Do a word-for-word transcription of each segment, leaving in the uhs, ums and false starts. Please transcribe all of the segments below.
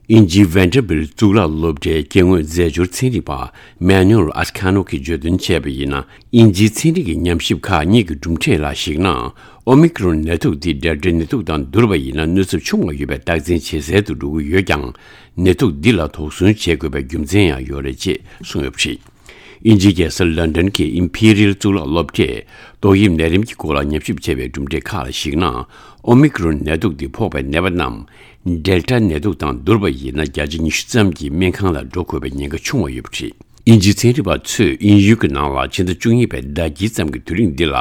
དབྱིན་ཇིའི་Vanderbilt་གཙུག་ལག་སློབ་གྲྭའི་སྐྱེ་དངོས་རྫས་སྦྱོར་ཚན་རིག་པ་Manuel Ascano་གིས་བརྗོད་དོན་བྱས་པ་ཡིན་ན། དབྱིན་ཇིའི་ཚན་རིག་གི་ཉམས་ཞིབ་ཁག་གཉིས་ཀྱི་གྲུབ་འབྲས་ལ་གཞིགས་ན། ཨོ་མི་ཀི་རོན་ནད་དུག་འདི་Delta་ནད་དུག་དང་བསྡུར་བ་ཡིན་ན་གནོད་ཚབས་ཆུང་བ་ཡོད་པའི་རྟགས་མཚན་ཇེ་གསལ་དུ་འགྲོ་གི་ཡོད་ཀྱང་། ནད་དུག་འདི་ལ་དོགས་ཟོན་བྱེད་དགོས་པའི་རྒྱུ་མཚན་ཡང་ཡོད་རེད་ཅེས་གསུངས་ཡོད་པ་རེད། དབྱིན་ཇིའི་རྒྱལ་ས་ལོན་ཌོན་གྱི་Imperial་གཙུག་ལག་སློབ་གྲྭས་ཏོག་དབྱིབས་ནད་རིམས་ཀྱི་སྐོར་ལ་ཉམས་ཞིབ་བྱས་པའི་གྲུབ་འབྲས་ཁག་ལ་གཞིགས་ན། ཨོ་མི་ཀི་རོན་ནད་དུག་འདི་ཕོག་པའི་ནད་པ་རྣམས་Delta་ནད་དུག་དང་བསྡུར་བ་ཡིན་ན་བརྒྱ་ཆ་ཉི་ཤུ་ཙམ་གྱིས་སྨན་ཁང་ལ་འགྲོ་དགོས་པའི་ཉེན་ཁ་ཆུང་བ་ཡོད་པ་རེད། དབྱིན་ཇིའི་ཚན་རིག་པ་ཚོས་དབྱིན་ཡུལ་གྱི་ནང་ལ་ཕྱི་ཟླ་བཅུ་གཉིས་པའི་ཟླ་དཀྱིལ་ཙམ་གྱི་དུས་རིང་འདི་ལ་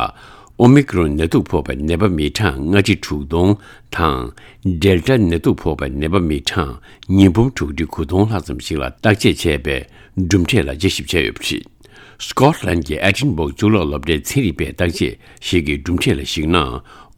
ཨོ་མི་ཀི་རོན་ནད་དུག་ཕོག་པའི་ནད་པ་མི་གྲངས་ལྔ་ཁྲི་དྲུག་སྟོང་དང་། Delta་ནད་དུག་ཕོག་པའི་ནད་པ་མི་གྲངས་ཉིས་འབུམ་དྲུག་ཁྲི་དགུ་སྟོང་ལྷག་ཙམ་ཞིག་ལ་བརྟག་དཔྱད་བྱས་པའི་གྲུབ་འབྲས་ལ་དཔྱད་ཞིབ་བྱས་ཡོད་པ་རེད། Scotland་གྱི་Edinburgh་གཙུག་ལག་སློབ་གྲྭའི་ཚན་རིག་པས་བརྟག་དཔྱད་ཞིག་གི་གྲུབ་འབྲས་ལ་གཞིགས་ན།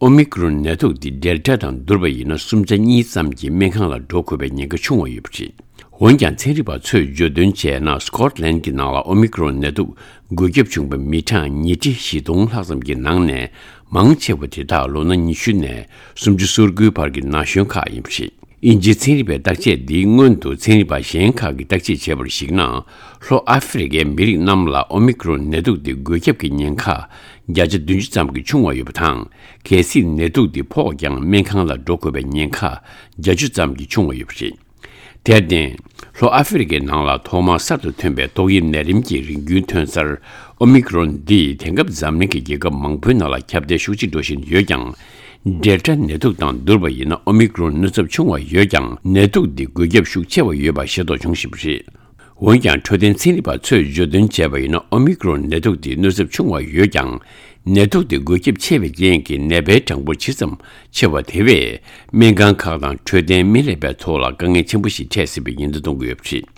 ཨོ་མི་ཀི་རོན་ནད་དུག་འདི་Delta་དང་བསྡུར་བ་ཡིན་ན་སུམ་ཆ་གཉིས་ཙམ་གྱིས་སྨན་ཁང་ལ་འགྲོ་དགོས་པའི་ཉེན་ཁ་ཆུང་བ་ཡོད་པ་རེད། འོན་ཀྱང་ཚན་རིག་པ་ཚོས་བརྗོད་དོན་བྱས་ན། Scotland་གྱི་ནང་ལ་ཨོ་མི་ཀི་རོན་ནད་དུག་འགོས་ཁྱབ་བྱུང་བའི་མི་གྲངས་ཉིས་ཁྲི་བཞི་སྟོང་ལྷག་ཙམ་གྱི་ནང་ནས་མང་ཆེ་བ་དེ་དག་ལོ་ན་ཉི་ཤུ་ནས་སུམ་ཅུ་སོ་དགུའི་བར་གྱི་ན་གཞོན་ཁག་ཡིན་པ་རེད། དབྱིན་ཇིའི་ཚན་རིག་པའི་བརྟག་དཔྱད་འདིའི་སྔོན་དུ་ཚན་རིག་པ་གཞན་ཁག་གིས་བརྟག་དཔྱད་བྱས་པར་གཞིགས་ན། ལྷོ་ཨ་ཧྥེ་རི་ཁའི་མི་རིགས་རྣམས་ལ་ཨོ་མི་ཀི་རོན་ནད་དུག་འདི་འགོས་ཁྱབ་ཀྱི་ཉེན་ཁ་བརྒྱ་ཆ་བདུན་ཅུ་ཙམ་གྱིས་ཆུང་བ་ཡོད་པ་དང་། གལ་སྲིད་ནད་དུག་འདི་ཕོག་ཀྱང་སྨན་ཁང་ལ་འགྲོ་དགོས་པའི་ཉེན་ཁ་བརྒྱད་ཅུ་ཙམ་གྱིས་ཆུང་བ་ཡོད་པ་རེད། དེར་བརྟེན། ལྷོ་ཨ་ཧྥེ་རི་ཁའི་ནང་ལ་ཐོག་མར་གསར་དུ་ཐོན་པའི་ཏོག་དབྱིབས་ནད་རིམས་ཀྱི་རིམས་རྒྱུན་ཐོན་གསར་ཨོ་མི་ཀི་རོན་འདིས་དེང་སྐབས་འཛམ་གླིང་གི་རྒྱལ་ཁབ་མང་པོའི་ནང་ལ་ཁྱབ་གདལ་ཤུགས་ཆེ་འགྲོ་བཞིན་ཡོད་ཀྱང་། Delta་ནད་དུག་དང་བསྡུར་བ་ཡིན་ན་ཨོ་མི་ཀི་རོན་གནོད་ཚབས་ཆུང་བ་ཡོད་ཀྱང་། ནད་དུག་འདི་འགོས་ཁྱབ་ཤུགས་ཆེ་བ་ཡོད་པ་ཤེས་རྟོགས་བྱུང་བཞིན་པ་རེད། འོན་ཀྱང་འཕྲོད་བསྟེན་ཚན་རིག་པ་ཚོས་བརྗོད་དོན་བྱས་པ་ཡིན་ན། ཨོ་མི་ཀི་རོན་ནད་དུག་འདི་གནོད་ཚབས་ཆུང་བ་ཡོད་ཀྱང་། ནད་དུག་འདི་འགོས་ཁྱབ་ཆེ་བའི་རྐྱེན་གྱིས་ནད་པའི་གྲངས་འབོར་ཇི་ཙམ་ཆེ་བ་དེ་བས་སྨན་ཁང་ཁག་དང་འཕྲོད་བསྟེན་སྨན་ལས་པའི་ཐོག་ལ་དཀའ་ངལ་ཆེན་པོ་ཞིག་འཕྲད་སྲིད་པའི་ཉེན་བརྡ་གཏོང་གི་ཡོད་པ་རེད།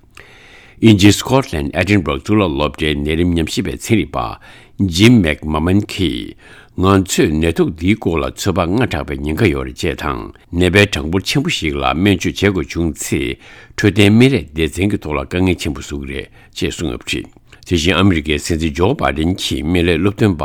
དབྱིན་ཇིའི་Scotland Edinburgh་གཙུག་ལག་སློབ་གྲྭའི་ནད་རིམས་ཉམས་ཞིབ་པའི་ཚན་རིག་པ་Jim McMahon་གིས། ང་ཚོས་ནད་དུག་འདིའི་སྐོར་ལ་ཚོད་དཔག་སྔ་དྲགས་པའི་ཉེན་ཁ་ཡོད་རེད་ཅེས་དང་། ནད་པའི་གྲངས་འབོར་ཆེན་པོ་ཞིག་ལ་སྨན་བཅོས་བྱེད་དགོས་བྱུང་ཚེ། འཕྲོད་བསྟེན་སྨན་ལས་སྡེ་ཚན་གྱི་ཐོག་ལ་དཀའ་ངལ་ཆེན་པོ་བཟོ་གི་རེད་ཅེས་གསུངས་ཡོད་པ་རེད། དེ་བཞིན་ཨ་མི་རི་ཀའི་སྲིད་འཛིན་ཇོ་བྷའི་ཌེན་གྱི་སྨན་བླའི་སློབ་སྟོན་པ་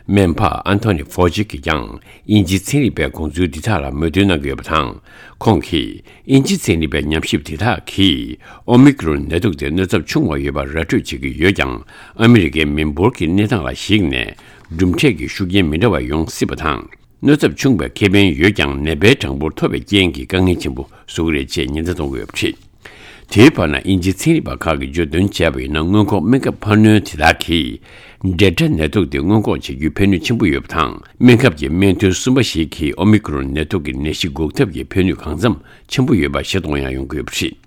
སྨན་པ་ཨན་ཐོ་ནི་ཕོ་ཅི་གིས་ཀྱང་དབྱིན་ཇིའི་ཚན་རིག་པའི་དགོངས་ཚུལ་འདི་དག་ལ་མོས་མཐུན་གནང་གི་ཡོད་པ་དང་། ཁོང་གིས་དབྱིན་ཇིའི་ཚན་རིག་པའི་ཉམས་ཞིབ་དེ་དག་གིས་ཨོ་མི་ཀི་རོན་ནད་དུག་དེ་གནོད་ཚབས་ཆུང་བ་ཡོད་པ་ར་སྤྲོད་བྱེད་ཀྱི་ཡོད་ཀྱང་། ཨ་མི་རི་ཀའི་མི་འབོར་གྱི་གནས་སྟངས་ལ་གཞིགས་ནས་གྲུབ་འབྲས་ཀྱི་ཤུགས་རྐྱེན་མི་འདྲ་བ་ཡོང་སྲིད་པ་དང་། གནོད་ཚབས་ཆུང་བའི་ཁེ་ཕན་ཡོད་ཀྱང་། ནད་པའི་གྲངས་འབོར་མཐོ་བའི་རྐྱེན་གྱིས་དཀའ་ངལ་ཆེན་པོ་བཟོ་གི་རེད་ཅེས་ཉེན་བརྡ་གཏོང་གི་ཡོད་པ་རེད། དེའི་བར་ན། དབྱིན་ཇིའི་ཚན་རིག་པ་ཁག་གིས་བརྗོད་དོན་བྱས་པ་ཡིན་ན། སྔོན་འགོག་སྨན་ཁབ་འཕར་སྣོན་དེ་དག་གིས་ཌེལ་ཊ་ནད་དུག་དེ་སྔོན་འགོག་བྱེད་རྒྱུའི་ཕན་ནུས་ཆེན་པོ་ཡོད་པ་དང་། སྨན་ཁབ་ཀྱི་སྨན་ཐུན་གསུམ་པ་ཞིག་གིས་ཨོ་མི་ཀི་རོན་ནད་དུག་གི་ནད་གཞི་འགོག་ཐབས་ཀྱི་ཕན་ནུས་གང་འཚམ་ཆེན་པོ་ཡོད་པ་ཤེས་རྟོགས་ཡང་ཡོང་གི་ཡོད་པ་རེད།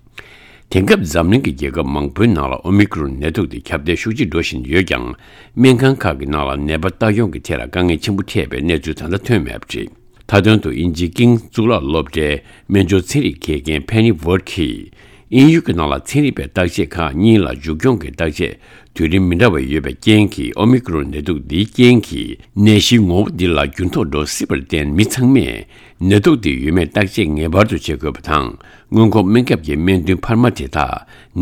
དེང་སྐབས་འཛམ་གླིང་གི་རྒྱལ་ཁབ་མང་པོའི་ནང་ལ་ཨོ་མི་ཀི་རོན་ནད་དུག་དེ་ཁྱབ་གདལ་ཤུགས་ཆེ་འགྲོ་བཞིན་ཡོད་ཀྱང་། སྨན་ཁང་ཁག་གི་ནང་ལ་ནད་པ་ལྟ་སྐྱོང་གི་ཐད་ལ་དཀའ་ངལ་ཆེན་པོ་འཕྲད་པའི་གནས་ཚུལ་ད་ལྟ་ཐོན་མེད་པ་རེད། མཐའ་དོན་དུ། དབྱིན་ཇིའི་ཀིང་གཙུག་ལག་སློབ་གྲྭའི་སྨན་སྦྱོར་ཚན་རིག་དགེ་རྒན་ཕེ་ནི་ཝར་གྱིས། དབྱིན་ཡུལ་གྱི་ནང་ལ་ཚན་རིག་པའི་བརྟག་དཔྱད་ཁག་གཉིས་ལ་མཇུག་སྐྱོང་གི་བརྟག་དཔྱད་དུས་རིམ་མི་འདྲ་བ་ཡོད་པའི་རྐྱེན་གྱིས། ཨོ་མི་ཀི་རོན་ནད་དུག་འདིའི་རྐྱེན་གྱིས་ནད་གཞིའི་ངོ་བོ་འདི་ལ་འགྱུར་ལྡོག་འགྲོ་སྲིད་པར་བརྟེན། མི་ཚང་མས་ནད་དུག་འདི་ཡོད་མེད་བརྟག་དཔྱད་ངེས་པར་དུ་བྱེད་དགོས་པ་དང་། སྔོན་འགོག་སྨན་ཁབ་ཀྱི་སྨན་ཐུན་འཕར་མ་དེ་དག་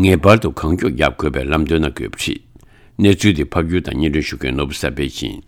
ངེས་པར་དུ་གང་མགྱོགས་བརྒྱབ་དགོས་པའི་ལམ་སྟོན་གནང་དགོས་པ་རེད། གནས་ཚུལ་འདི་ཕབ་སྒྱུར་དང་སྙན་སྒྲོན་ཞུ་མཁན་ནོར་བུ་གསར་པས་ཡིན།